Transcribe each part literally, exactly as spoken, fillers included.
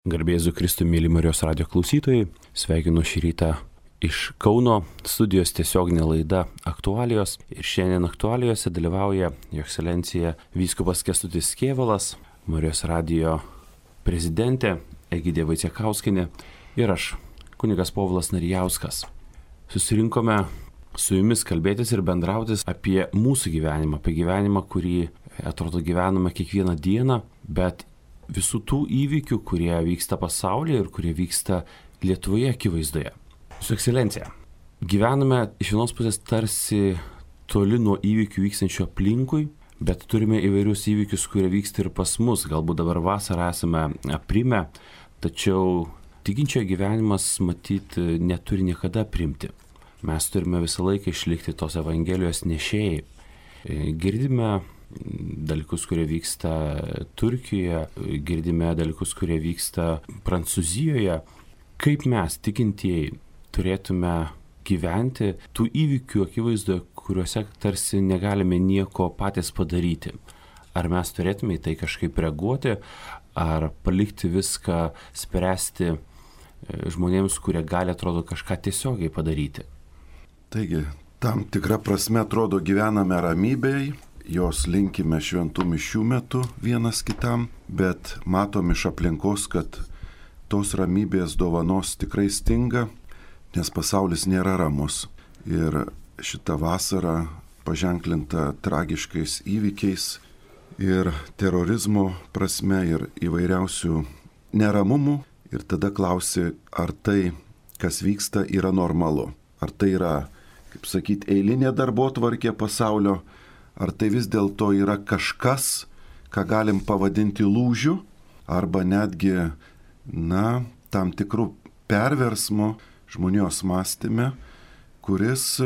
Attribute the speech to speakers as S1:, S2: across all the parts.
S1: Garbė Jėzui Kristui, mėly Marijos radijo klausytojai, sveikinu šį rytą iš Kauno studijos tiesioginė laida Aktualijos. Ir šiandien Aktualijose dalyvauja Jo Ekscelencija vyskupas Kęstutis Kėvalas, Marijos radijo prezidentė Egidija Vaicekauskienė ir aš, kunigas Povilas Narijauskas. Susirinkome su jumis kalbėtis ir bendrautis apie mūsų gyvenimą, apie gyvenimą, kurį atrodo gyvename kiekvieną dieną, bet visų tų įvykių, kurie vyksta pasaulyje ir kurie vyksta Lietuvoje akivaizdoje. Su Ekscelencija, gyvename iš vienos pusės tarsi toli nuo įvykių vykstančių aplinkui, bet turime įvairius įvykius, kurie vyksta ir pas mus. Galbūt dabar vasarą esame aprimę, tačiau tikinčiojo gyvenimas, matyt, neturi niekada aprimti. Mes turime visą laiką išlikti tos Evangelijos nešėjai. Girdime dalykus, kurie vyksta Turkijoje, girdime dalykus, kurie vyksta Prancūzijoje. Kaip mes, tikintieji, turėtume gyventi tų įvykių akivaizdoje, kuriuose tarsi negalime nieko patys padaryti? Ar mes turėtume į tai kažkaip reaguoti, ar palikti viską spręsti žmonėms, kurie gali, atrodo, kažką tiesiogiai padaryti?
S2: Taigi, tam tikra prasme atrodo gyvename ramybėj, jos linkime šventų mišių metu vienas kitam, bet matom iš aplinkos, kad tos ramybės dovanos tikrai stinga, nes pasaulis nėra ramus. Ir šita vasara paženklinta tragiškais įvykiais ir terorizmo prasme ir įvairiausių neramumų. Ir tada klausi, ar tai, kas vyksta, yra normalu. Ar tai yra, kaip sakyti, eilinė darbotvarkė pasaulio, ar tai vis dėlto yra kažkas, ką galim pavadinti lūžiu, arba netgi, na, tam tikrų perversmų žmonijos mąstyme, kuris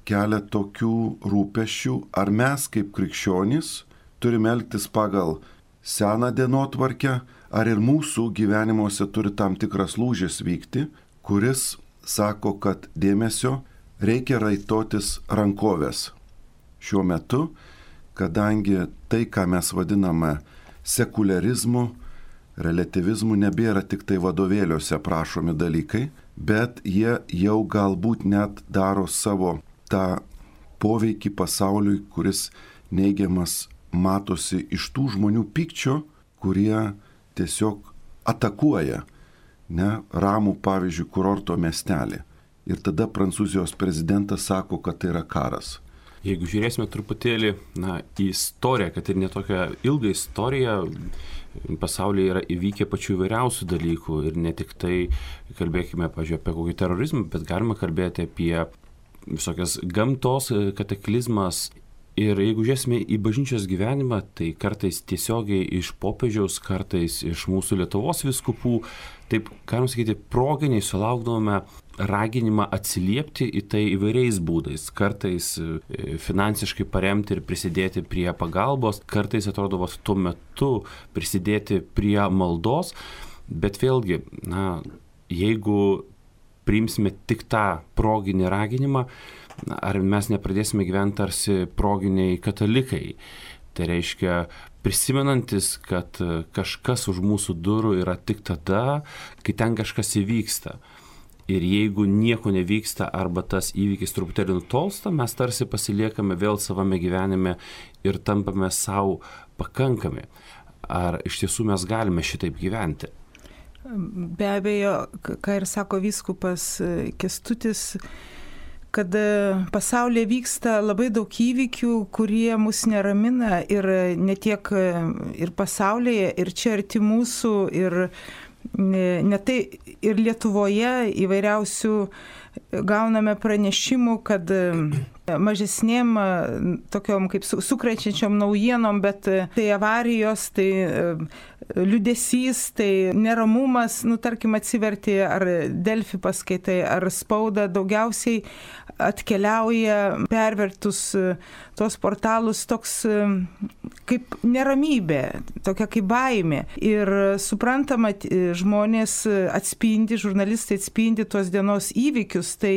S2: kelia tokių rūpesčių, ar mes kaip krikščionys turime elgtis pagal seną dienotvarkę, ar ir mūsų gyvenimuose turi tam tikras lūžis vykti, kuris sako, kad dėmesio reikia raitotis rankovės. Šiuo metu, kadangi tai, ką mes vadiname sekuliarizmu, relativizmu, nebėra tik tai vadovėliuose prašomi dalykai, bet jie jau galbūt net daro savo tą poveikį pasauliui, kuris neigiamas matosi iš tų žmonių pykčio, kurie tiesiog atakuoja, ne, ramų, pavyzdžiui, kurorto miestelį. Ir tada Prancūzijos prezidentas sako, kad tai yra karas.
S1: Jeigu žiūrėsime truputėlį na, į istoriją, kad ir netokią ilgą istoriją, pasaulyje yra įvykę pačių įvairiausių dalykų ir ne tik tai kalbėkime, pažiūrėjau, apie kokį terorizmą, bet galima kalbėti apie visokias gamtos kataklizmas. Ir jeigu žiūrėsime į bažnyčios gyvenimą, tai kartais tiesiogiai iš popiežiaus, kartais iš mūsų Lietuvos vyskupų, taip, galim sakyti, proginiai sulaukdavome raginimą atsiliepti į tai įvairiais būdais. Kartais finansiškai paremti ir prisidėti prie pagalbos, kartais atrodo va, tuo metu prisidėti prie maldos, bet vėlgi, na, jeigu priimsime tik tą proginį raginimą, ar mes nepradėsime gyventi tarsi proginiai katalikai. Tai reiškia, prisimenantis, kad kažkas už mūsų durų yra tik tada, kai ten kažkas įvyksta. Ir jeigu nieko nevyksta arba tas įvykis truputėlį nutolsta, mes tarsi pasiliekame vėl savame gyvenime ir tampame savo pakankami. Ar iš tiesų mes galime šitaip gyventi?
S3: Be abejo, ką ir sako vyskupas Kęstutis, kad pasaulyje vyksta labai daug įvykių, kurie mus neramina ir ne tiek ir pasaulyje, ir čia arti mūsų, ir ne tai ir Lietuvoje įvairiausių gauname pranešimų, kad mažesnėm tokiom kaip sukrečiančiom naujienom, bet tai avarijos, tai liūdesys, tai neramumas, nu tarkim atsiverti ar Delfi paskaitai, ar spaudą, daugiausiai atkeliauja pervertus tos portalus toks kaip neramybė, tokia kaip baimė. Ir suprantama, žmonės atspindi, žurnalistai atspindi tos dienos įvykius, tai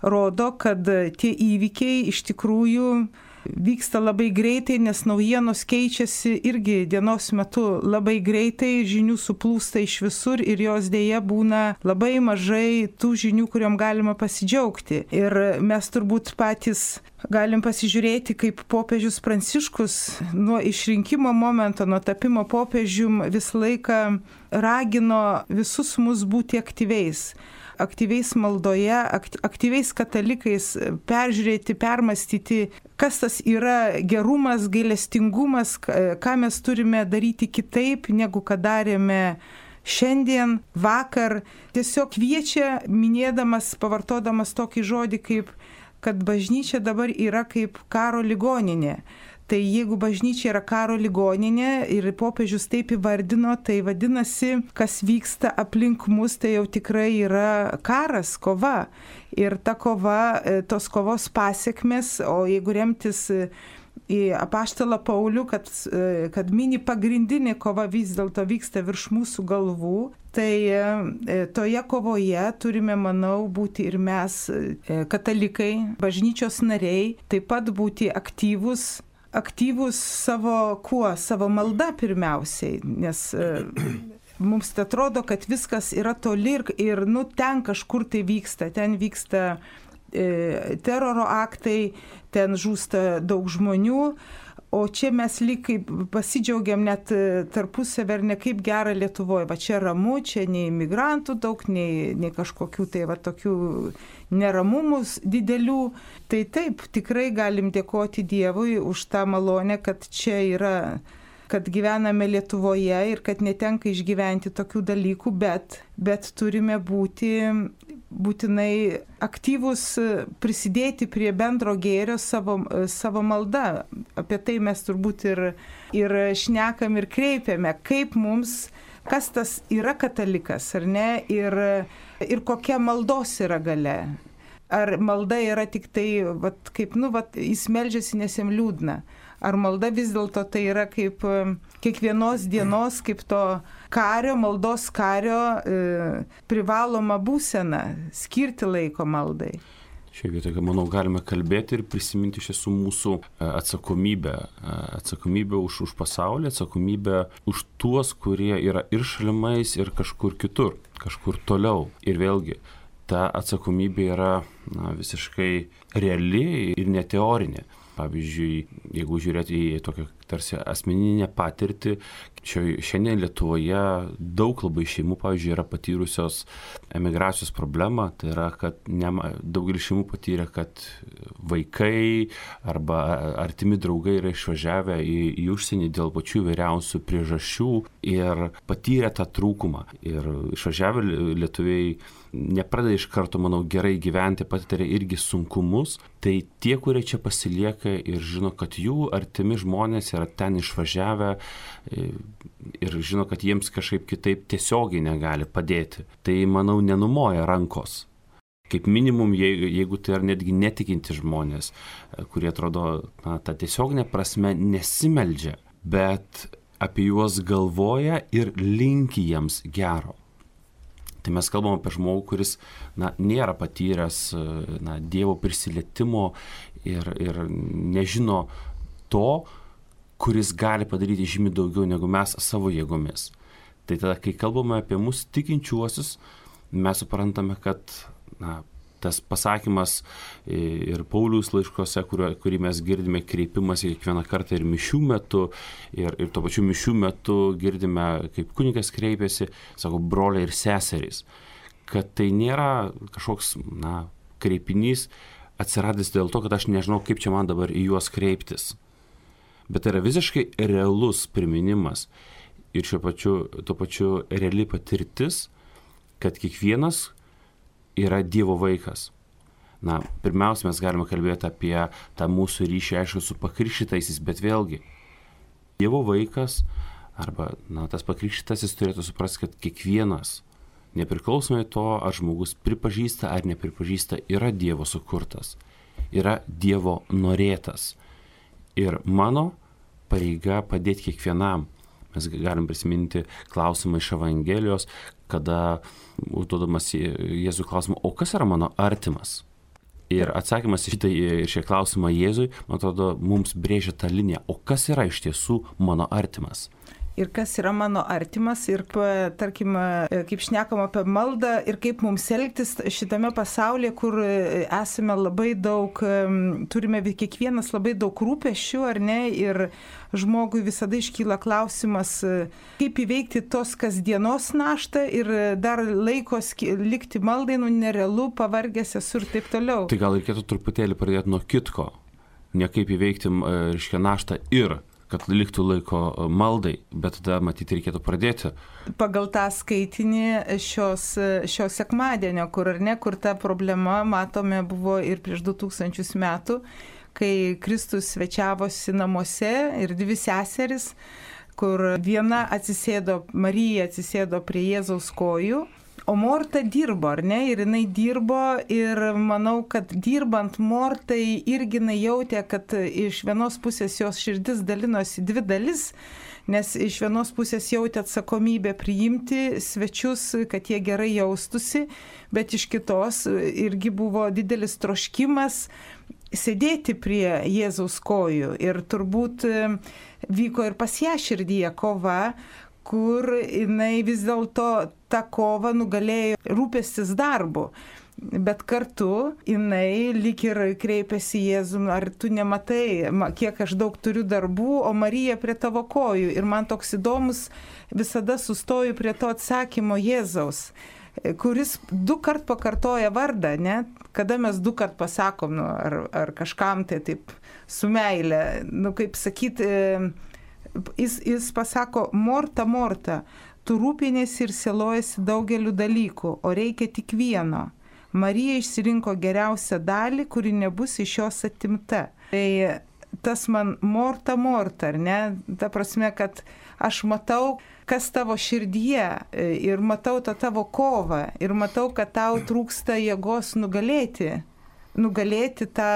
S3: rodo, kad tie įvykiai iš tikrųjų vyksta labai greitai, nes naujienos keičiasi irgi dienos metu labai greitai, žinių suplūsta iš visur ir jos dėja būna labai mažai tų žinių, kuriuom galima pasidžiaugti. Ir mes turbūt patys galim pasižiūrėti, kaip popiežius Pranciškus nuo išrinkimo momento, nuo tapimo popiežium visą laiką ragino visus mus būti aktyviais. Aktyviais maldoje, aktyviais katalikais, peržiūrėti, permastyti, kas tas yra gerumas, gailestingumas, ką mes turime daryti kitaip, negu kad darėme šiandien, vakar. Tiesiog kviečia, minėdamas, pavartodamas tokį žodį, kaip kad bažnyčia dabar yra kaip karo ligoninė. Tai jeigu bažnyčia yra karo ligoninė ir popiežius taip įvardino, tai vadinasi, kas vyksta aplink mus, tai jau tikrai yra karas, kova. Ir ta kova, tos kovos pasiekmes, o jeigu remtis į apaštalą Paulių, kad, kad mini pagrindinė kova vis dėlto vyksta virš mūsų galvų, tai toje kovoje turime, manau, būti ir mes, katalikai, bažnyčios nariai, taip pat būti aktyvus, aktyvus savo kuo, savo malda pirmiausiai, nes mums atrodo, kad viskas yra toli ir, ir nu, ten kažkur tai vyksta, ten vyksta e, teroro aktai, ten žūsta daug žmonių, o čia mes lyg kaip pasidžiaugiam net tarpusavį ir ne kaip gera Lietuvoje, va čia ramu, čia nei imigrantų daug, nei, nei kažkokių tai va tokių neramumus didelių. Tai taip, tikrai galim dėkoti Dievui už tą malonę, kad čia yra, kad gyvename Lietuvoje ir kad netenka išgyventi tokių dalykų, bet, bet turime būti būtinai aktyvus, prisidėti prie bendro gėrio savo, savo malda. Apie tai mes turbūt ir, ir šnekam ir kreipiame, kaip mums, kas tas yra katalikas, ar ne, ir, ir kokia maldos yra galia. Ar malda yra tik tai, vat, kaip, nu, vat, jis meldžiasi, nes jam liūdna. Ar malda vis dėlto tai yra kaip kiekvienos dienos, kaip to kario, maldos kario e, privaloma būsena, skirti laiko maldai.
S1: Šioje vietoje, manau, galime kalbėti ir prisiminti iš tiesų mūsų atsakomybę. Atsakomybę už, už pasaulį, atsakomybę už tuos, kurie yra ir šalimais, ir kažkur kitur, kažkur toliau. Ir vėlgi, ta atsakomybė yra na, visiškai reali ir neteorinė. Pavyzdžiui, jeigu žiūrėti į tokią tarsi asmeninę patirtį, šiandien Lietuvoje daug labai šeimų, pavyzdžiui, yra patyrusios emigracijos problemą, tai yra, kad nema, daugelis šeimų patyrė, kad vaikai arba artimi draugai yra išvažiavę į, į užsienį dėl pačių įvairiausių priežasčių ir patyrė tą trūkumą. Ir išvažiavę lietuviai nepradeda iš karto, manau, gerai gyventi, patiria irgi sunkumus, tai tie, kurie čia pasilieka ir žino, kad jų artimi žmonės yra ten išvažiavę ir žino, kad jiems kažkaip kitaip tiesiogiai negali padėti, tai, manau, nenumoja rankos. Kaip minimum, jeigu tai yra netgi netikinti žmonės, kurie atrodo, na, ta tiesioginė prasme nesimeldžia, bet apie juos galvoja ir linki jiems gero. Tai mes kalbam apie žmogų, kuris na, nėra patyręs na, Dievo prisilietimo ir, ir nežino to, kuris gali padaryti žymiai daugiau negu mes savo jėgomis. Tai tada, kai kalbame apie mus tikinčiuosius, mes suprantame, kad na, tas pasakymas ir Pauliaus laiškose, kurio, kurį mes girdime kreipimas kiekvieną kartą ir mišių metu, ir, ir tuo pačiu mišių metu girdime, kaip kunigas kreipiasi, sako, broliai ir seserys, kad tai nėra kažkoks na, kreipinys atsiradęs dėl to, kad aš nežinau, kaip čia man dabar į juos kreiptis. Bet tai yra visiškai realus priminimas ir šiuo pačiu, tuo pačiu reali patirtis, kad kiekvienas yra Dievo vaikas. Na, pirmiausia, mes galime kalbėti apie tą mūsų ryšį, aišku, su pakrikštytaisiais, bet vėlgi, Dievo vaikas arba na, tas pakrikštytasis turėtų suprasti, kad kiekvienas, nepriklausomai to, ar žmogus pripažįsta ar nepripažįsta, yra Dievo sukurtas, yra Dievo norėtas. Ir mano pareiga padėti kiekvienam. Mes galim prisiminti klausimą iš Evangelijos, kada užduodamas Jėzų klausimą, o kas yra mano artimas? Ir atsakymas į šitą šią klausimą Jėzui, man atrodo, mums brėžia tą liniją. O kas yra iš tiesų mano artimas?
S3: Ir kas yra mano artimas, ir, tarkim, kaip šnekam apie maldą ir kaip mums elgtis šitame pasaulyje, kur esame labai daug, turime kiekvienas labai daug rūpesčių, ar ne, ir žmogui visada iškyla klausimas, kaip įveikti tos kasdienos naštą ir dar laikos likti maldai, nu nerealu, pavargęs esu ir taip toliau.
S1: Tai gal reikėtų truputėlį pradėti nuo kitko, ne kaip įveikti, reiškia, naštą ir kad liktų laiko maldai, bet tada matyti reikėtų pradėti.
S3: Pagal tą skaitinį šios, šios sekmadienio, kur ar ne, kur ta problema, matome, buvo ir prieš du tūkstančius metų, kai Kristus svečiavosi namuose ir dvi seseris, kur viena atsisėdo, Marija atsisėdo prie Jėzaus kojų, o Morta dirbo, ar ne? Ir jinai dirbo ir manau, kad dirbant Mortai irgi jinai jautė, kad iš vienos pusės jos širdis dalinosi dvi dalis, nes iš vienos pusės jautė atsakomybę priimti svečius, kad jie gerai jaustusi, bet iš kitos irgi buvo didelis troškimas sėdėti prie Jėzaus kojų. Ir turbūt vyko ir pas ją širdyje kova, kur jinai vis dėlto tą kovą nugalėjo rūpestis darbu. Bet kartu jinai lyg ir kreipėsi Jėzum, ar tu nematai, kiek aš daug turiu darbų, o Marija prie tavo kojų. Ir man toks įdomus, visada sustoju prie to atsakymo Jėzaus, kuris du kart pakartoja vardą, ne? Kada mes du kart pasakom, nu, ar, ar kažkam tai taip su meile, nu kaip sakyti, Jis, jis pasako, Morta, Morta, tu rūpinėsi ir sielojasi daugeliu dalykų, o reikia tik vieno. Marija išsirinko geriausią dalį, kuri nebus iš jos atimta. Tai tas man Morta, Morta, ar ne? Ta prasme, kad aš matau, kas tavo širdyje ir matau tą tavo kovą ir matau, kad tau trūksta jėgos nugalėti, nugalėti tą...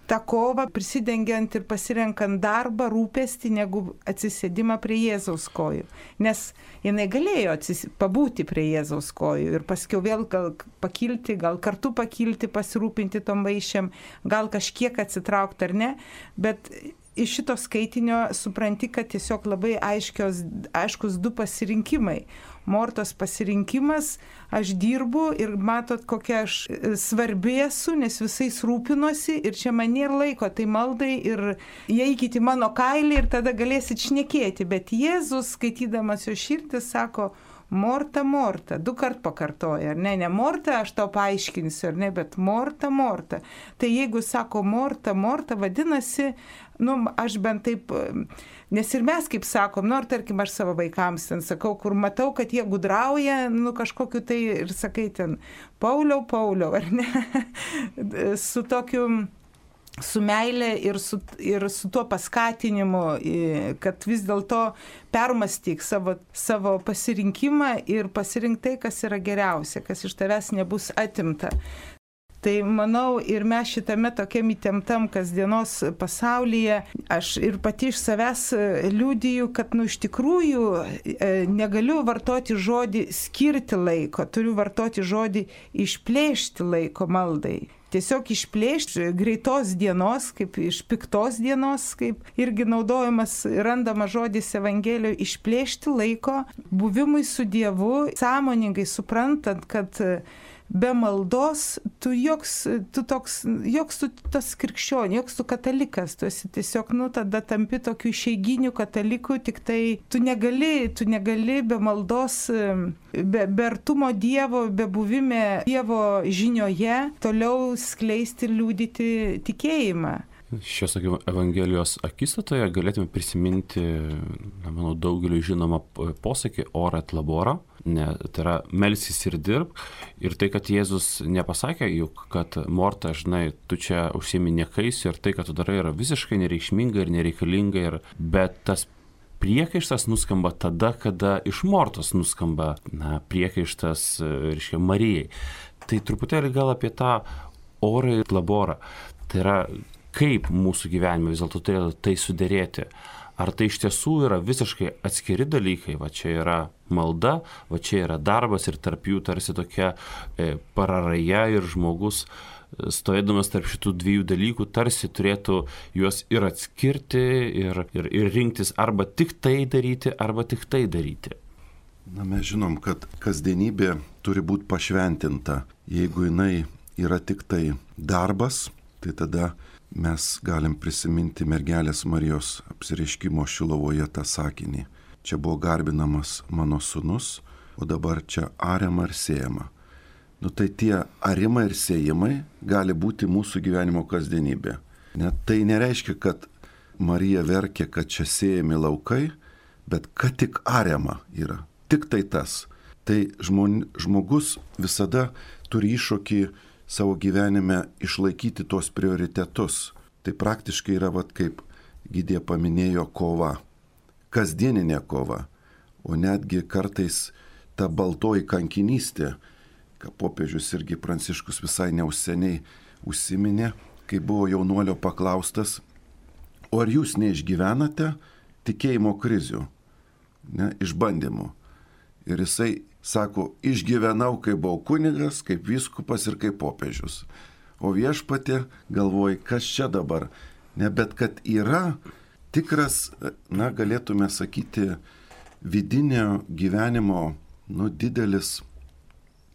S3: tą kovą, prisidengiant ir pasirenkant darbą, rūpestį, negu atsisėdimą prie Jėzaus kojų. Nes jinai galėjo atsis... pabūti prie Jėzaus kojų ir paskiau vėl gal pakilti, gal kartu pakilti, pasirūpinti tom vaišėm, gal kažkiek atsitraukti ar ne, bet iš šito skaitinio supranti, kad tiesiog labai aiškios, aiškus du pasirinkimai. Mortos pasirinkimas, aš dirbu ir matot, kokia aš svarbi esu, nes visais rūpinosi ir čia man nėra laiko, tai maldai ir įeikit į mano kailį ir tada galėsit šnekėti. Bet Jėzus, skaitydamas jo širdį, sako, Morta, Morta, du kart pakartoja, ar ne, ne Morta, aš tau paaiškinsiu, ar ne, bet Morta, Morta. Tai jeigu sako Morta, Morta, vadinasi, nu, aš bent taip, nes ir mes kaip sakom, nu, ar tarkim aš savo vaikams ten sakau, kur matau, kad jie gudrauja, nu, kažkokiu tai ir sakai ten, Pauliau, Pauliau, ar ne, su tokiu... su meilė ir su, ir su tuo paskatinimu, kad vis dėlto permąstyk savo, savo pasirinkimą ir pasirink tai, kas yra geriausia, kas iš tavęs nebus atimta. Tai manau ir mes šitame tokiam įtemptam kasdienos pasaulyje, aš ir pati iš savęs liudiju, kad nu iš tikrųjų negaliu vartoti žodį skirti laiko, turiu vartoti žodį išplėšti laiko maldai. Tiesiog išplėšti greitos dienos, kaip iš piktos dienos, kaip irgi naudojamas, randamas žodis Evangelijoje, išplėšti laiko buvimui su Dievu, sąmoningai suprantant, kad be maldos tu joks, tu toks, joks tu tas krikščionė, joks tu katalikas, tu esi tiesiog, nu, tada tampi tokių išeiginių katalikų, tik tai tu negali, tu negali be maldos, be, be artumo Dievo, be buvime Dievo žinioje toliau skleisti ir liudyti tikėjimą.
S1: Šios Evangelijos akistatoje galėtume prisiminti, na, manau, daugeliu žinomą posakį ora et labora, ne, tai yra melsis ir dirb. Ir tai, kad Jėzus nepasakė, juk, kad Morta, žinai, tu čia užsiimi niekais ir tai, kad tu darai, yra visiškai nereikšminga ir nereikalinga, ir, bet tas priekaištas nuskamba tada, kada iš Mortos nuskamba, na, priekaištas, reiškia, Marijai. Tai truputėlį gal apie tą orą ir laborą. Tai yra, kaip mūsų gyvenime vis dėlto turėtų tai suderėti. ar tai iš tiesų yra visiškai atskiri dalykai, va čia yra malda, va čia yra darbas ir tarp jų tarsi tokia e, pararaja ir žmogus stovėdamas tarp šitų dviejų dalykų tarsi turėtų juos ir atskirti ir, ir, ir rinktis arba tik tai daryti, arba tik tai daryti.
S2: Na, mes žinom, kad kasdienybė turi būti pašventinta. Jeigu jinai yra tik tai darbas, tai tada mes galim prisiminti mergelės Marijos apsireiškimo Šilovoje tą sakinį. Čia buvo garbinamas mano sūnus, o dabar čia ariama ir sėjama. Nu tai tie arimai ir sėjimai gali būti mūsų gyvenimo kasdienybė. Net tai nereiškia, kad Marija verkė, kad čia sėjami laukai, bet kad tik ariama yra. Tik tai tas. Tai žmon, žmogus visada turi iššūkį savo gyvenime išlaikyti tuos prioritetus. Tai praktiškai yra, vat, kaip Gidė paminėjo, kova. Kasdieninė kova. O netgi kartais ta baltoji kankinystė, ką popiežius irgi Pranciškus visai neužseniai užsiminė, kai buvo jaunuolio paklaustas, o ar jūs neišgyvenate tikėjimo krizių, ne, išbandymų. Ir jisai sako, išgyvenau, kai buvau kunigas, kaip vyskupas ir kaip popiežius. O viešpatė galvoja, kas čia dabar. Ne, bet kad yra tikras, na, galėtume sakyti, vidinio gyvenimo, nu, didelis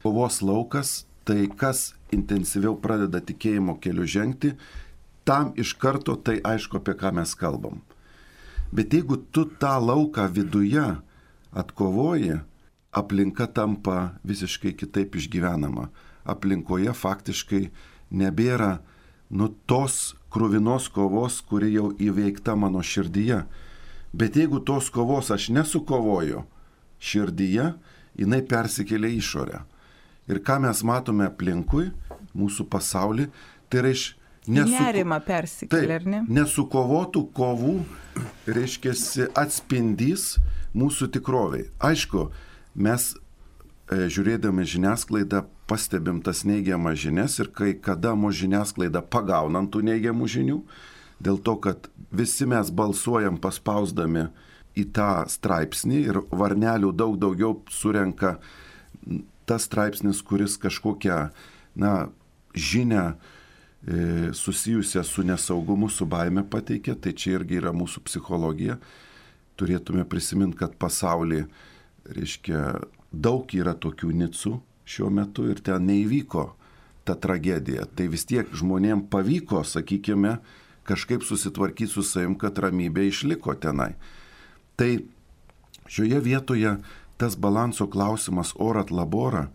S2: kovos laukas, tai kas intensyviau pradeda tikėjimo keliu žengti, tam iš karto tai aišku, apie ką mes kalbam. Bet jeigu tu tą lauką viduje atkovoji, aplinka tampa visiškai kitaip išgyvenama. Aplinkoje faktiškai nebėra nu tos kruvinos kovos, kuri jau įveikta mano širdyje. Bet jeigu tos kovos aš nesukovoju širdyje, jinai persikelia išorę. Ir ką mes matome aplinkui, mūsų pasaulį, tai reiškia nesu...
S3: Nerima persikelia, ar ne?
S2: Nesukovotų kovų, reiškia, atspindys mūsų tikroviai. Aišku, mes e, žiūrėdami žiniasklaidą pastebim tas neigiamas žinias ir kai kada mūsų žiniasklaida pagaunant tų neigiamų žinių, dėl to, kad visi mes balsuojam paspausdami į tą straipsnį ir varnelių daug daugiau surenka tas straipsnis, kuris kažkokią, na, žinią e, susijusią su nesaugumu, su baime pateikia, tai čia irgi yra mūsų psichologija. Turėtume prisiminti, kad pasaulyje, reiškia, daug yra tokių nicų šiuo metu ir ten neįvyko ta tragedija. Tai vis tiek žmonėm pavyko, sakykime, kažkaip susitvarkyti su savim, kad ramybė išliko tenai. Tai šioje vietoje tas balanso klausimas orat labora,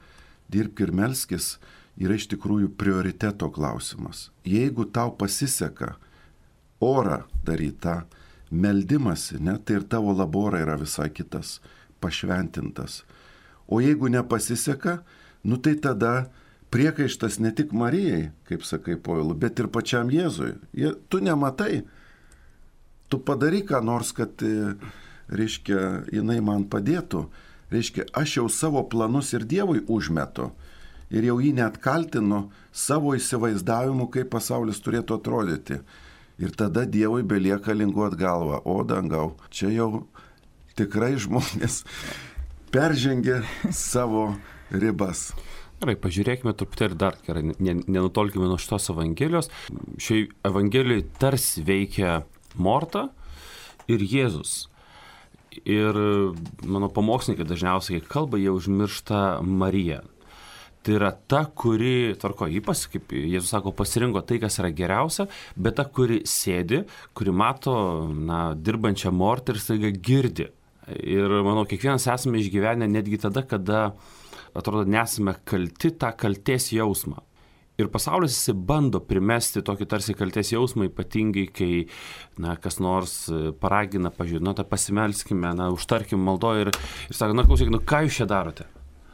S2: dirbk ir melskis, yra iš tikrųjų prioriteto klausimas. Jeigu tau pasiseka orą daryti tą meldimąsi, ne, tai ir tavo labora yra visai kitas, pašventintas. O jeigu nepasiseka, nu tai tada priekaištas ne tik Marijai, kaip sakai Povilu, bet ir pačiam Jėzui. Je, tu nematai, tu padaryk ką nors, kad, reiškia, jinai man padėtų. Reiškia, aš jau savo planus ir Dievui užmetu ir jau jį net kaltinu savo įsivaizdavimu, kaip pasaulis turėtų atrodyti. Ir tada Dievui belieka linguot galvą, o dangau, čia jau tikrai žmonės peržengė savo ribas.
S1: Gerai, pažiūrėkime truputėlį dar, gerai, nenutolkime nuo šitos evangelijos. Šiai evangelijai tarsi veikia Morta ir Jėzus. Ir mano pamokslininkai dažniausiai, kai kalba, jie užmiršta Mariją. Tai yra ta, kuri, tvarko, jį pas, kaip Jėzus sako, pasirinko tai, kas yra geriausia, bet ta, kuri sėdi, kuri mato, na, dirbančią Mortą ir staiga girdi. Ir manau, kiekvienas esame išgyvenę netgi tada, kada, atrodo, nesame kalti tą kaltės jausmą. Ir pasaulis jisai bando primesti tokį tarsi kaltės jausmą, ypatingai, kai, na, kas nors paragina, pažiūrėjau, nu, tai pasimelskime, na, užtarkim maldoje ir, ir sako, na, klausykit, nu, ką jūs čia darote?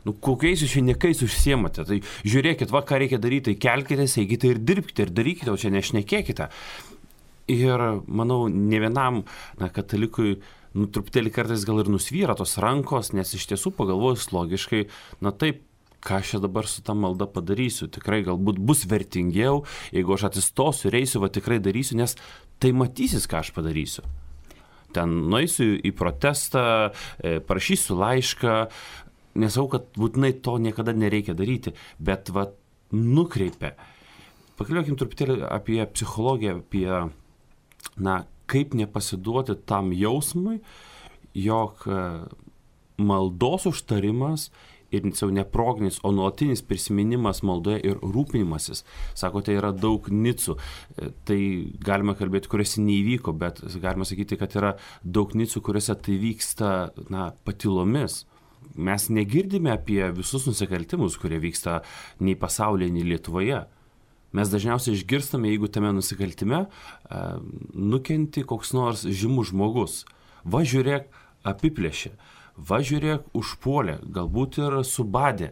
S1: Nu, kokiais jūs čia niekais užsiemate? Tai žiūrėkit, va, ką reikia daryti, tai kelkitės, eikite ir dirbkite, ir darykite, o čia nešnekėkite. Ir, manau, ne vienam, na, katalikui, nu, truputėlį kartais gal ir nusvyra tos rankos, nes iš tiesų pagalvojus logiškai, na, taip, ką aš dabar su tą maldą padarysiu, tikrai galbūt bus vertingiau, jeigu aš atsistosiu ir eisiu, va tikrai darysiu, nes tai matysis, ką aš padarysiu. ten nueisiu į protestą, parašysiu laišką, nesakau, kad būtinai to niekada nereikia daryti, bet va nukreipia. Pakalbėkim truputėlį apie psichologiją, apie, na, kaip nepasiduoti tam jausmui, jog maldos užtarimas ir jau ne proginis, o nuolatinis prisiminimas maldoje ir rūpinimasis. Sakote, yra daug nicų. Tai galima kalbėti, kuriuose neįvyko, bet galima sakyti, kad yra daug nicų, kuriuose tai vyksta, na, patylomis. Mes negirdime apie visus nusikaltimus, kurie vyksta nei pasaulyje, nei Lietuvoje. Mes dažniausiai išgirstame, jeigu tame nusikaltime nukenti koks nors žymus žmogus. Va žiūrėk, apiplėšė, va žiūrėk, užpuolė, galbūt ir subadė.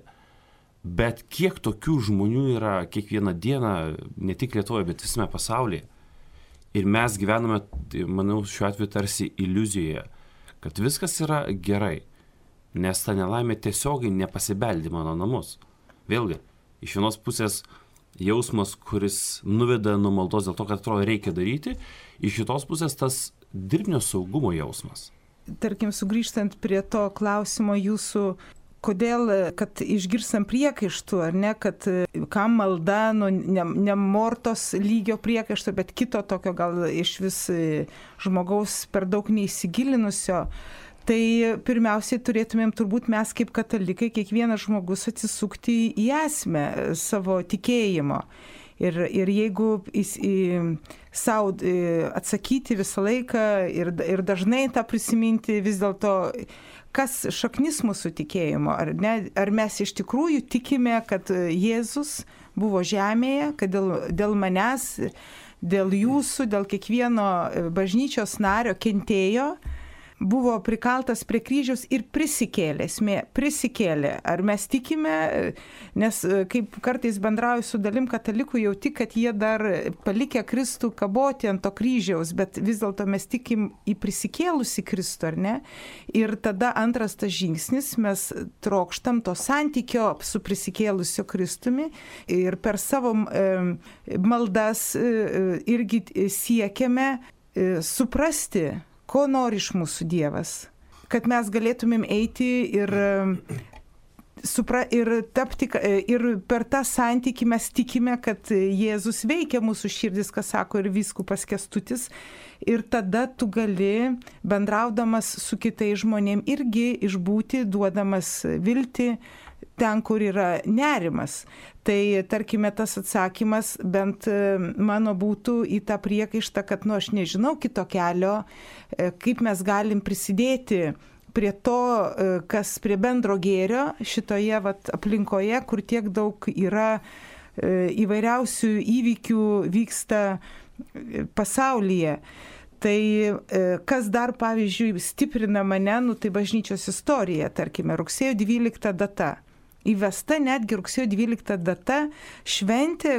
S1: Bet kiek tokių žmonių yra kiekvieną dieną, ne tik Lietuvoje, bet visame pasaulyje. Ir mes gyvename, manau, šiuo atveju tarsi iliuzijoje, kad viskas yra gerai, nes ta nelaimė tiesiogiai nepasibeldė mano namus. Vėlgi, iš vienos pusės jausmas, kuris nuveda nuo maldos dėl to, kad atrodo reikia daryti, iš kitos pusės tas dirbtinio saugumo jausmas.
S3: Tarkim, sugrįžtant prie to klausimo jūsų, kodėl, kad išgirstam priekaištų, ar ne, kad kam malda, nu, ne, ne mortos lygio priekaišto, bet kito tokio gal iš vis žmogaus per daug neįsigilinusio, tai pirmiausiai turėtumėm turbūt mes kaip katalikai, kiekvienas žmogus atsisukti į esmę savo tikėjimo. Ir, ir jeigu į, į, savo atsakyti visą laiką ir, ir dažnai tą prisiminti vis dėlto, kas šaknis mūsų tikėjimo, ar, ne, ar mes iš tikrųjų tikime, kad Jėzus buvo žemėje, kad dėl, dėl manęs, dėl jūsų, dėl kiekvieno bažnyčios nario kentėjo, buvo prikaltas prie kryžiaus ir prisikėlė, esmė, prisikėlė. Ar mes tikime, nes kaip kartais bendrauju su dalim katalikų, jau tik, kad jie dar palikę Kristų kaboti ant to kryžiaus, bet vis dėlto mes tikim į prisikėlusį Kristų, ar ne? Ir tada antras tas žingsnis, mes trokštam to santykio su prisikėlusiu Kristumi ir per savo e, maldas e, irgi siekiame e, suprasti, ko nori iš mūsų Dievas, kad mes galėtumėm eiti ir, supra, ir, tapti, ir per tą santykį mes tikime, kad Jėzus veikia mūsų širdis, kas sako ir vyskupas Kęstutis, ir tada tu gali, bendraudamas su kitais žmonėm, irgi išbūti, duodamas viltį ten, kur yra nerimas. Tai, tarkime, tas atsakymas bent mano būtų į tą priekaištą, kad, nu, aš nežinau kito kelio, kaip mes galim prisidėti prie to, kas prie bendro gėrio šitoje vat, aplinkoje, kur tiek daug yra įvairiausių įvykių vyksta pasaulyje. Tai kas dar, pavyzdžiui, stiprina mane, nu, tai bažnyčios istorija, tarkime, rugsėjo dvylikta data. Įvesta netgi rugsėjo dvylikta data šventė,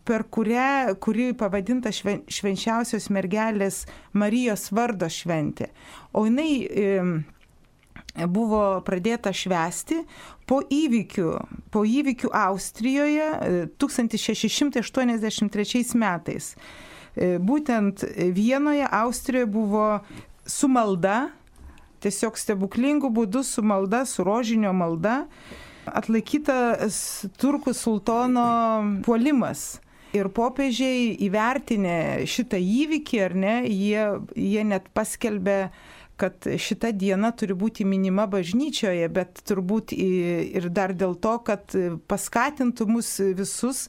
S3: per kurią, kuri pavadinta šven, švenčiausios mergelės Marijos vardo šventė. O jinai e, buvo pradėta švęsti po įvykių, po įvykių Austrijoje tūkstantis šeši šimtai aštuoniasdešimt trečiais metais. E, būtent Vienoje, Austrijoje buvo su malda, tiesiog stebuklingų būdų su malda, su rožinio malda, atlaikytas turkų sultono puolimas. Ir popiežiai įvertinę šitą įvykį, ar ne, jie, jie net paskelbė, kad šita diena turi būti minima bažnyčioje, bet turbūt ir dar dėl to, kad paskatintų mus visus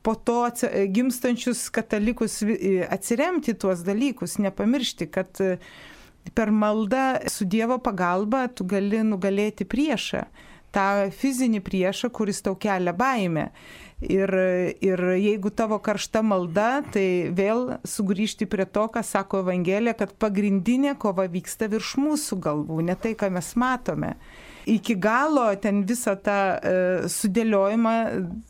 S3: po to gimstančius katalikus atsiremti tuos dalykus, nepamiršti, kad per maldą su Dievo pagalba tu gali nugalėti priešą. tą fizinį priešą, kuris tau kelia baimę. Ir, ir jeigu tavo karšta malda, tai vėl sugrįžti prie to, ką sako Evangelija, kad pagrindinė kova vyksta virš mūsų galvų, ne tai, ką mes matome. iki galo ten visą tą e, sudėliojimą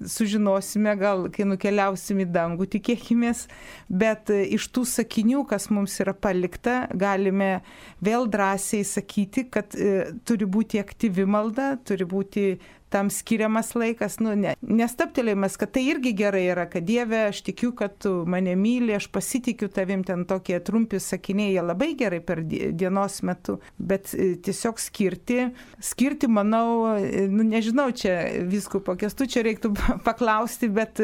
S3: sužinosime, gal kai nukeliausim į dangų, tikėkimės, bet e, iš tų sakinių, kas mums yra palikta, galime vėl drąsiai sakyti, kad e, turi būti aktyvi malda, turi būti tam skiriamas laikas, nu, ne, nestaptelėjimas, kad tai irgi gerai yra, kad Dieve, aš tikiu, kad tu mane myli, aš pasitikiu tavim, ten tokie trumpi sakiniai, jie labai gerai per dienos metu, bet tiesiog skirti, skirti, manau, nu, nežinau, čia vyskupo Kęstučio reiktų paklausti, bet,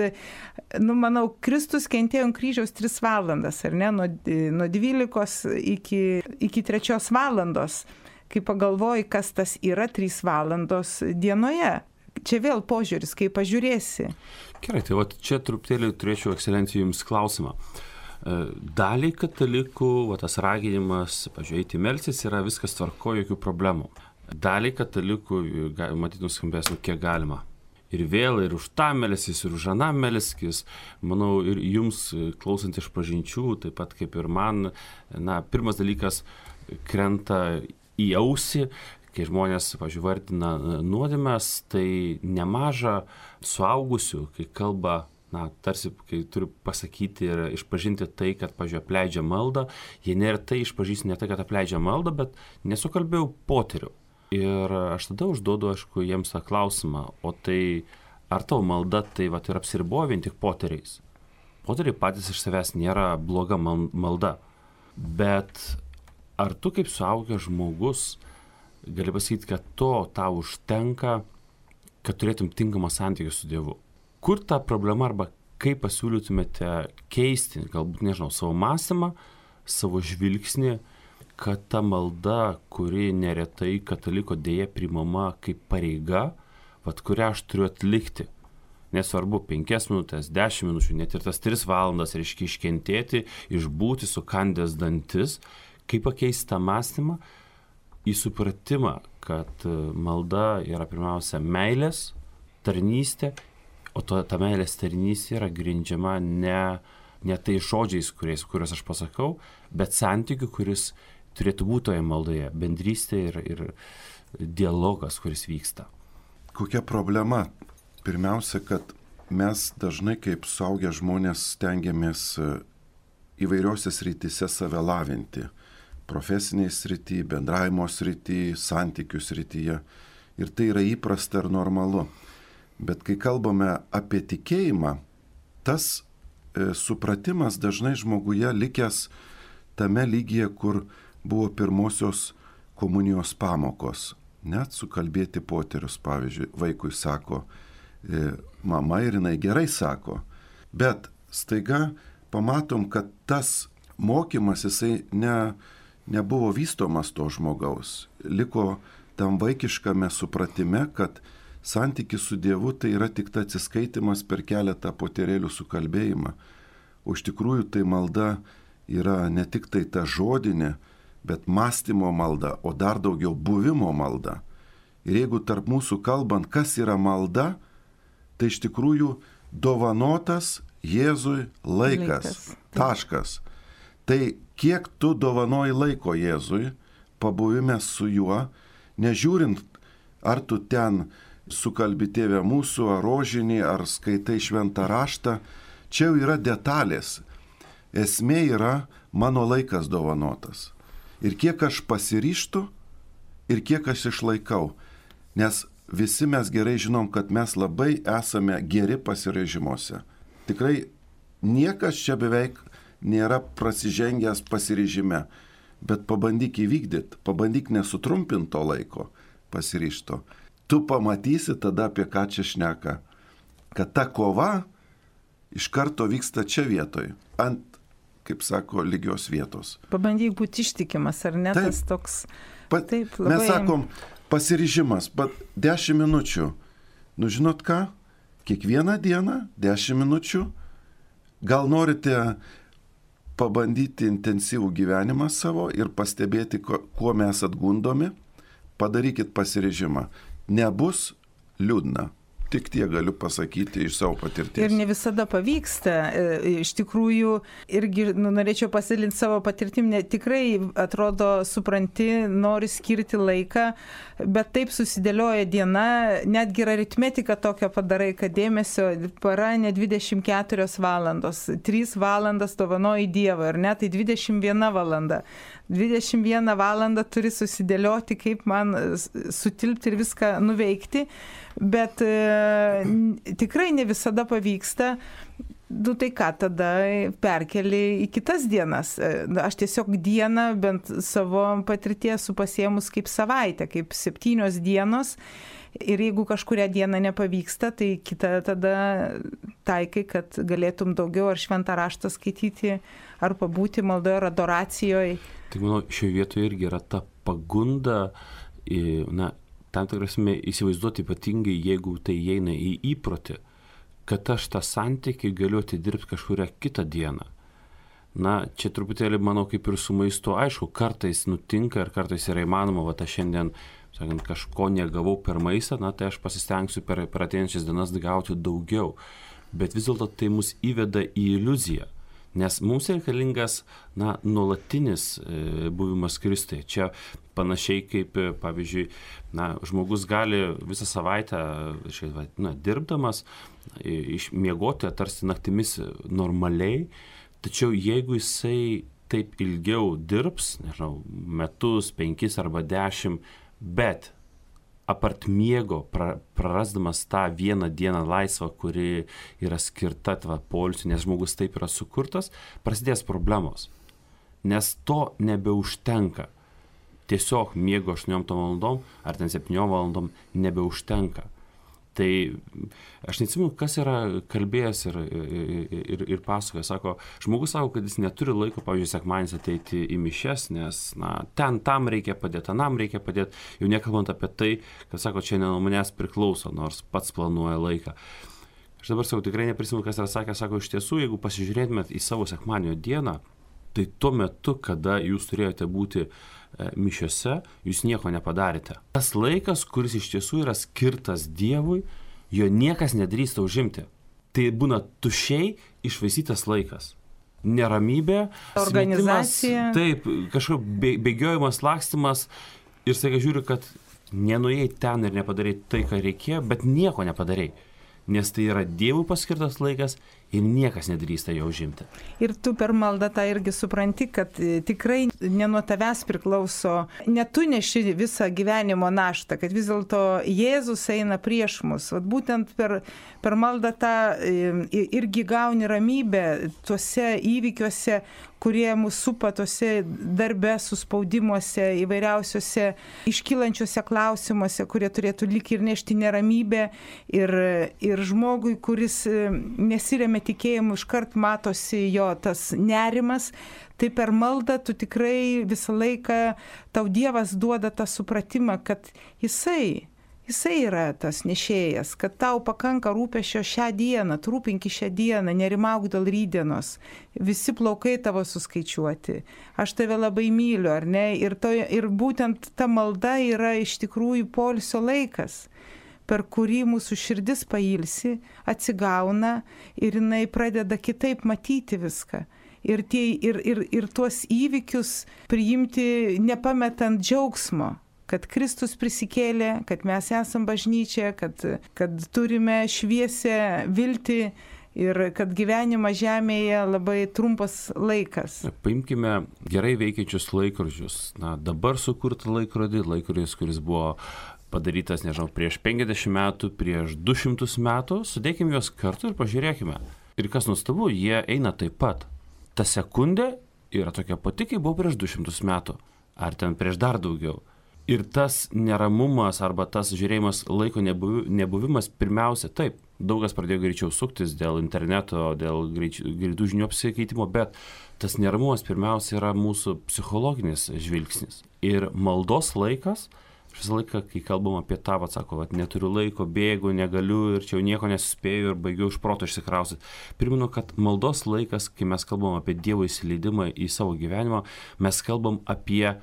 S3: nu, manau, Kristus kentėjo ant kryžiaus tris valandas, ar ne, nuo, nuo dvylikos iki, iki trečios valandos. Kai pagalvoji, kas tas yra trys valandos dienoje. Čia vėl požiūris, kaip pažiūrėsi.
S1: Gerai, tai va čia truputėlį turėčiau, ekscelencija, jums klausimą. Daliai katalikų, va, tas raginimas, pažiūrėti, melstis yra viskas tvarko, jokių problemų. Daliai katalikų, matyt, nuskambės, nu, kiek galima. Ir vėl, ir už tą melskis, ir už aną melskis. Manau, ir jums, klausant iš pažinčių, taip pat kaip ir man, na, pirmas dalykas krenta į ausį, kai žmonės, pavyzdžiui, vardina nuodėmes, tai nemaža suaugusių, kai kalba, na, tarsi, kai turi pasakyti ir išpažinti tai, kad, pavyzdžiui, apleidžia maldą, jie neretai išpažįsta ne tai, kad apleidžia maldą, bet nesukalbėjau poterių. Ir aš tada užduodu, aišku, jiems tą klausimą, o tai ar tavo malda tai vat, ir apsiriboja vien tik poteriais? Poteriai patys iš savęs nėra bloga malda, bet ar tu kaip suaugęs žmogus gali pasakyti, kad to tau užtenka, kad turėtum tinkamą santykį su Dievu? Kur ta problema arba kaip pasiūlytumėte keisti, galbūt, nežinau, savo mąstymą, savo žvilgsnį, kad ta malda, kuri neretai kataliko dėja primama kaip pareiga, vat kurią aš turiu atlikti. Nesvarbu, penkias minutės, dešimt minučių, net ir tas tris valandas reiškia iškentėti, išbūti sukandęs dantis, kaip pakeisti tą mąstymą į supratimą, kad malda yra pirmiausia meilės, tarnystė, o to, ta meilės tarnystė yra grindžiama ne, ne tai žodžiais, kuriais, kuriuos aš pasakau, bet santykiu, kuris turėtų būti toje maldoje, bendrystė ir, ir dialogas, kuris vyksta.
S2: Kokia problema? Pirmiausia, kad mes dažnai kaip suaugę žmonės stengiamės įvairiose srityse save lavinti. Profesiniai srity, bendravimo srity, santykių srityje. Ir tai yra įprasta ir normalu. Bet kai kalbame apie tikėjimą, tas e, supratimas dažnai žmoguje likęs tame lygyje, kur buvo pirmosios komunijos pamokos. Net sukalbėti poterius, pavyzdžiui, vaikui sako e, mama ir jinai gerai sako. Bet staiga pamatom, kad tas mokymas jisai ne nebuvo vystomas to žmogaus. Liko tam vaikiškame supratime, kad santykis su Dievu tai yra tik ta atsiskaitimas per keletą poterėlių sukalbėjimą. O iš tikrųjų tai malda yra ne tik tai ta žodinė, bet mąstymo malda, o dar daugiau buvimo malda. Ir jeigu tarp mūsų kalbant, kas yra malda, tai iš tikrųjų dovanotas Jėzui laikas. laikas. Taškas. Tai kiek tu dovanoji laiko Jėzui, pabuvime su juo, nežiūrint, ar tu ten sukalbi Tėve mūsų, ar rožinį, ar skaitai šventą raštą, čia jau yra detalės. Esmė yra mano laikas dovanotas. Ir kiek aš pasiryštu, ir kiek aš išlaikau. Nes visi mes gerai žinom, kad mes labai esame geri pasirežimuose. Tikrai niekas čia beveik nėra prasižengęs pasiryžime, bet pabandyk įvykdyti, pabandyk nesutrumpinti to laiko pasiryžto. Tu pamatysi tada, apie ką čia šneka, kad ta kova iš karto vyksta čia vietoj, ant, kaip sako, lygios vietos.
S3: Pabandyk būti ištikimas, ar ne?
S2: Taip,
S3: tas toks...
S2: pa,
S3: taip, labai...
S2: Mes sakom, pasiryžimas, bet dešimt minučių. Nu žinot ką? Kiekvieną dieną dešimt minučių. Gal norite pabandyti intensyvų gyvenimą savo ir pastebėti, kuo mes atgundomi, padarykit pasiryžimą. Nebus liūdna. Tik tie galiu pasakyti iš savo patirties.
S3: Ir ne visada pavyksta. Iš tikrųjų, irgi nu, norėčiau pasidalinti savo patirtim, ne, tikrai atrodo, supranti, nori skirti laiką, bet taip susidėlioja diena, netgi ir aritmetika tokia padarai, kad dėmesio para ne dvidešimt keturios valandos, trys valandas dovanoji Dievą, ar ne, tai dvidešimt viena valanda. dvidešimt vieną valandą turi susidėlioti, kaip man sutilpti ir viską nuveikti, bet e, tikrai ne visada pavyksta. Nu tai ką, tada perkeli į kitas dienas. Aš tiesiog dieną bent savo patirties esu pasiėmus kaip savaitę, kaip septynios dienos. Ir jeigu kažkuria diena nepavyksta, tai kita tada taikai, kad galėtum daugiau ar šventą raštą skaityti, ar pabūti maldoje, ar adoracijoje.
S1: Tai manau, šioje vietoje irgi yra ta pagunda, na, tam tikrasme įsivaizduoti ypatingai, jeigu tai įeina į įprotį, kad aš tą santykį galiu atidirbti kažkurią kitą dieną. Na, čia truputėlį, manau, kaip ir su maistu, aišku, kartais nutinka ir kartais yra įmanoma, va, aš šiandien, sakant, kažko negavau per maistą, na, tai aš pasistengsiu per, per ateinančias dienas gauti daugiau. Bet vis dėlto tai mus įveda į iliuziją. Nes mums reikalingas, na, nuolatinis e, buvimas Kristuje. Čia panašiai kaip, pavyzdžiui, na, žmogus gali visą savaitę, šiaip, na, dirbdamas, išmiegoti, tarsi naktimis normaliai, tačiau jeigu jisai taip ilgiau dirbs, nežinau, metus, penkis arba dešimt, bet apart miego, prarasdamas tą vieną dieną laisvą, kuri yra skirta poilsiui, nes žmogus taip yra sukurtas, prasidės problemos. Nes to nebeužtenka. Tiesiog miego aštuoniom valandom ar ten septyniom valandom nebeužtenka. Tai aš neatsimenu, kas yra kalbėjęs ir, ir, ir, ir pasakoja. Sako, žmogus sako, kad jis neturi laiko, pavyzdžiui, sekmadienis ateiti į mišias, nes na, ten tam reikia padėti, anam reikia padėti. Jau nekalbant apie tai, kad sako, čia ne nuo manęs priklauso, nors pats planuoja laiką. Aš dabar sakau, tikrai neprisimenu, kas yra sakęs. Sako, iš tiesų, jeigu pasižiūrėtumėt į savo sekmadienio dieną, tai tuo metu, kada jūs turėjote būti mišiose, jūs nieko nepadarėte. Tas laikas, kuris iš tiesų yra skirtas Dievui, jo niekas nedrįsta užimti. Tai būna tuščiai išvaisytas laikas. Neramybė,
S3: organizacija.
S1: Smetimas, taip, kažkoks bėgiojimas, lakstymas ir staiga žiūriu, kad nenuėjai ten ir nepadarei tai, ką reikėjo, bet nieko nepadarei. Nes tai yra Dievui paskirtas laikas ir niekas nedrįsta jo užimti. Ir
S3: tu per maldą tą irgi supranti, kad tikrai ne nuo tavęs priklauso, ne tu neši visą gyvenimo naštą, kad vis dėlto Jėzus eina prieš mus. Vat būtent per, per maldą tą irgi gauni ramybę tuose įvykiuose, kurie mūsų supa tose darbe, suspaudimuose, įvairiausiuose iškylančiuose klausimuose, kurie turėtų lyg ir nešti neramybę. Ir, ir žmogui, kuris nesiremia tikėjimu, iškart matosi jo tas nerimas, tai per maldą tu tikrai visą laiką, tau Dievas duoda tą supratimą, kad jisai, jisai yra tas nešėjas, kad tau pakanka rūpesčio šią dieną, tu rūpinki šią dieną, nerimauk dėl rydienos, visi plaukai tavo suskaičiuoti, aš tave labai myliu, ar ne? Ir, to, ir būtent ta malda yra iš tikrųjų poilsio laikas, per kurį mūsų širdis pailsi, atsigauna ir jinai pradeda kitaip matyti viską. Ir, tie, ir, ir, ir tuos įvykius priimti nepametant džiaugsmo, kad Kristus prisikėlė, kad mes esam bažnyčia, kad, kad turime šviesę viltį ir kad gyvenimas žemėje labai trumpas laikas.
S1: Paimkime gerai veikiančius laikrodžius. Na, dabar sukurtą laikrodį, laikrodis, kuris buvo padarytas, nežinau, prieš penkiasdešimt metų, prieš du šimtus metų, sudėkime juos kartu ir pažiūrėkime. Ir kas nuostabu, jie eina taip pat. Ta sekundė yra tokia pati, kaip buvo prieš du šimtus metų, ar ten prieš dar daugiau. Ir tas neramumas arba tas žiūrėjimas laiko nebuvimas, pirmiausia, taip, daugas pradėjo greičiau suktis dėl interneto, dėl greitų žinių apsikeitimo, bet tas neramumas pirmiausia yra mūsų psichologinis žvilgsnis. Ir maldos laikas, visą laiką, kai kalbam apie tą, atsako, kad neturiu laiko, bėgu, negaliu ir čia jau nieko nesuspėju ir baigiau iš proto išsikrausti. Primenu, kad maldos laikas, kai mes kalbam apie Dievo įsileidimą į savo gyvenimą, mes kalbam apie,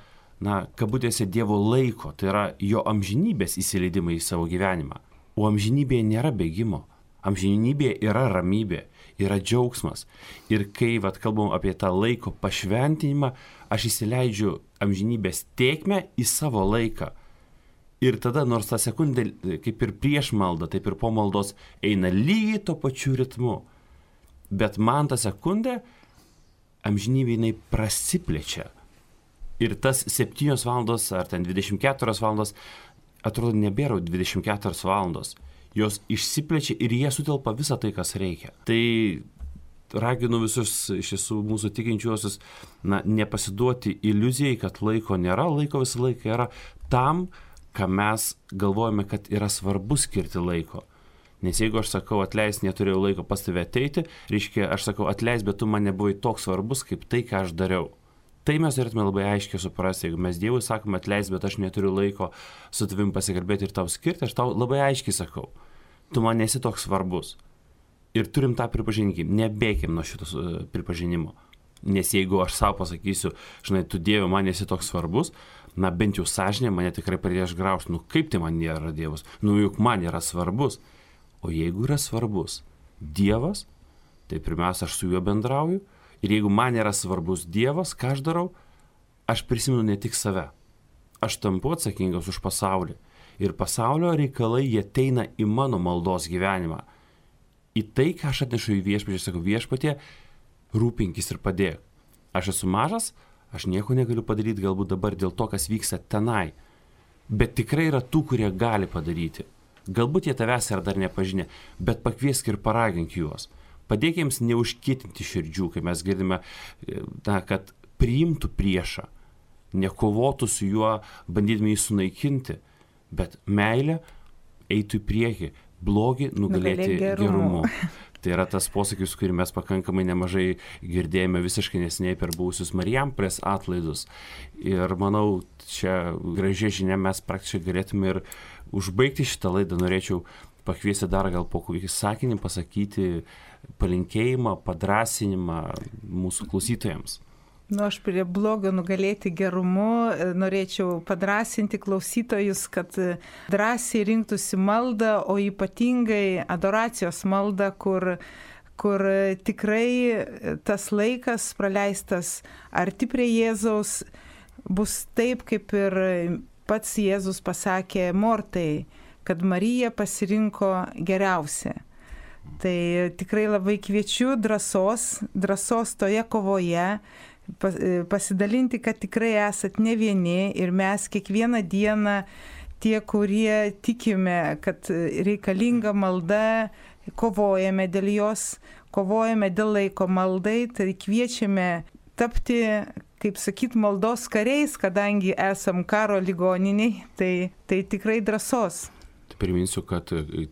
S1: na, kabutėse Dievo laiko, tai yra jo amžinybės įsileidimą į savo gyvenimą. O amžinybėje nėra bėgimo. Amžinybėje yra ramybė, yra džiaugsmas. Ir kai vat, kalbam apie tą laiko pašventinimą, aš įsileidžiu amžinybės tėkmę į savo laiką. Ir tada, nors tą sekundę, kaip ir prieš maldą, taip ir po maldos, eina lygiai to pačiu ritmu. Bet man tą sekundę amžinybė jinai prasiplečia. Ir tas septynios valandos ar ten dvidešimt keturios valandos, atrodo, nebėra dvidešimt keturios valandos. Jos išsiplečia ir jie sutelpa visą tai, kas reikia. Tai raginu visus iš tiesų mūsų tikinčiuosius, na, nepasiduoti iliuzijai, kad laiko nėra, laiko visą laiką yra tam, ką mes galvojame, kad yra svarbu skirti laiko. Nes jeigu aš sakau, atleis, neturėjau laiko pas tave ateiti, reiškia, aš sakau, atleis, bet tu man nebuvai toks svarbus, kaip tai, ką aš dariau. Tai mes turėtume labai aiškiai suprasti, jeigu mes Dievui sakome, atleis, bet aš neturiu laiko su tavim pasikalbėti ir tau skirti, aš tau labai aiškiai sakau, tu man nesi toks svarbus. Ir turim tą pripažinti, nebėkim nuo šitos uh, pripažinimo. Nes jeigu aš savo pasakysiu, žinai, tu Dieve, man nesi toks svarbus, na bent jau sąžinė mane tikrai pradės graužti, nu kaip tai man nėra Dievas, nu juk man yra svarbus. O jeigu yra svarbus Dievas, tai pirmiausia, aš su juo bendrauju. Ir jeigu man yra svarbus Dievas, ką aš darau, aš prisimenu ne tik save. Aš tampu atsakingas už pasaulį. Ir pasaulio reikalai jie ateina į mano maldos gyvenimą. Į tai, ką aš atnešu į viešpatį, aš sakau, viešpatie, rūpinkis ir padėk. Aš esu mažas, aš nieko negaliu padaryti galbūt dabar dėl to, kas vyksta tenai. Bet tikrai yra tų, kurie gali padaryti. Galbūt jie tavęs yra dar nepažinę, bet pakviesk ir paragink juos. Padėk jiems neužkietinti širdžių, kai mes girdime, na, kad priimtų priešą, nekovotų su juo, bandydami jį sunaikinti, bet meilė eitų į priekį, blogį nugalėti gerumu. Tai yra tas posakis, kurį mes pakankamai nemažai girdėjome visiškai neseniai per buvusius Marijampolės atlaidus. Ir manau, čia gražiai žinia mes praktiškai galėtume ir užbaigti šitą laidą. Norėčiau pakviesti dar gal po kokį sakinį pasakyti palinkėjimą, padrasinimą mūsų klausytojams.
S3: Nu, aš prie blogio nugalėti gerumu norėčiau padrasinti klausytojus, kad drąsiai rinktųsi maldą, o ypatingai adoracijos maldą, kur, kur tikrai tas laikas praleistas arti prie Jėzaus bus taip, kaip ir pats Jėzus pasakė Mortai, kad Marija pasirinko geriausią. Tai tikrai labai kviečiu drąsos, drąsos toje kovoje, pasidalinti, kad tikrai esat ne vieni ir mes kiekvieną dieną tie, kurie tikime, kad reikalinga malda, kovojame dėl jos, kovojame dėl laiko maldai, tai kviečiame tapti, kaip sakyt, maldos kariais, kadangi esam karo ligoniniai, tai, tai tikrai drąsos.
S1: Priminsiu, kad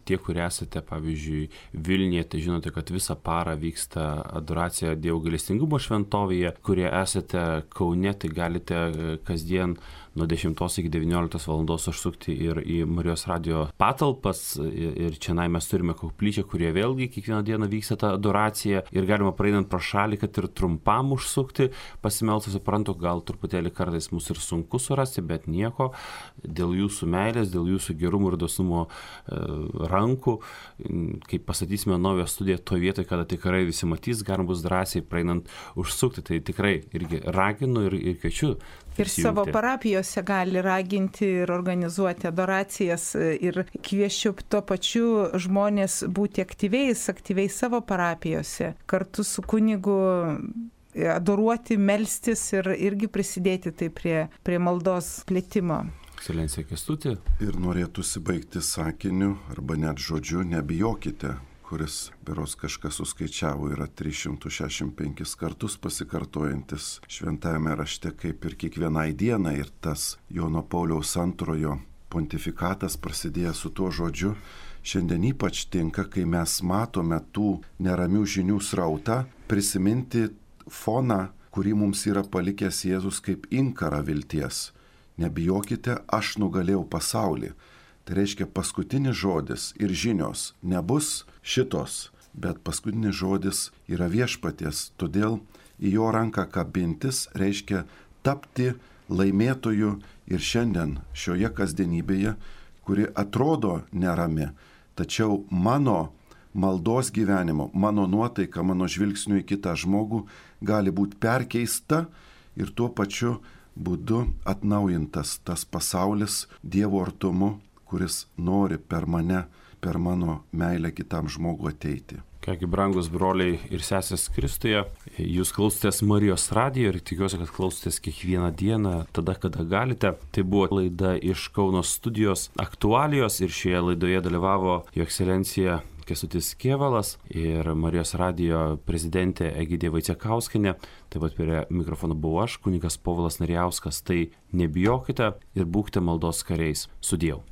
S1: tie, kurie esate, pavyzdžiui, Vilniuje, tai žinote, kad visą parą vyksta adoracija Dievo gailestingumo šventovėje, kurie esate Kaune, tai galite kasdien nuo dešimtos iki devynioliktos valandos užsukti ir į Marijos radijo patalpas. Ir čia mes turime koplyčią, kurie vėlgi kiekvieną dieną vyksta ta adoracija ir galima praeinant pro šalį, kad ir trumpam užsukti, pasimelsti, suprantu, gal truputėlį kartais mus ir sunku surasti, bet nieko, dėl jūsų meilės, dėl jūsų gerumo ir dosnumo e, rankų, kai pastatysime naują studiją toje vietoje, kada tikrai visi matys, galima bus drąsiai praeinant užsukti, tai tikrai irgi raginu ir, ir kviečiu.
S3: Ir savo parapijose gali raginti ir organizuoti adoracijas ir kviečiu tuo pačiu žmonės būti aktyviais, aktyviais savo parapijose, kartu su kunigu adoruoti, melstis ir irgi prisidėti tai prie, prie maldos plėtimo.
S1: Ekscelencija Kęstuti.
S2: Ir norėtųsi baigti sakiniu arba net žodžiu, nebijokite, kuris, beros kažkas suskaičiavo, yra tris šimtus šešiasdešimt penkis kartus pasikartojantis šventajame rašte kaip ir kiekvienai dienai. Ir tas Jono Pauliaus antrojo pontifikatas prasidėjęs su tuo žodžiu šiandien ypač tinka, kai mes matome tų neramių žinių srautą, prisiminti foną, kurį mums yra palikęs Jėzus kaip inkarą vilties. Nebijokite, aš nugalėjau pasaulį. Tai reiškia, paskutinis žodis ir žinios nebus šitos, bet paskutinis žodis yra viešpaties. Todėl į jo ranką kabintis reiškia tapti laimėtoju ir šiandien šioje kasdienybėje, kuri atrodo nerami, tačiau mano maldos gyvenimo, mano nuotaika, mano žvilgsniu į kitą žmogų gali būti perkeista ir tuo pačiu būdu atnaujintas tas pasaulis Dievo artumu, kuris nori per mane, per mano meilę kitam žmogui ateiti.
S1: Kągi, brangus broliai ir sesės Kristuje, jūs klausotės Marijos radijo ir tikiuosi, kad klausotės kiekvieną dieną, tada, kada galite. Tai buvo laida iš Kauno studijos aktualijos ir šioje laidoje dalyvavo Jo ekscelencija Kęstutis Kėvalas ir Marijos radijo prezidentė Egidija Vaicekauskienė. Taip pat prie mikrofono buvau aš, kunigas Povilas Narijauskas. Tai nebijokite ir būkite maldos kariais. Sudieu.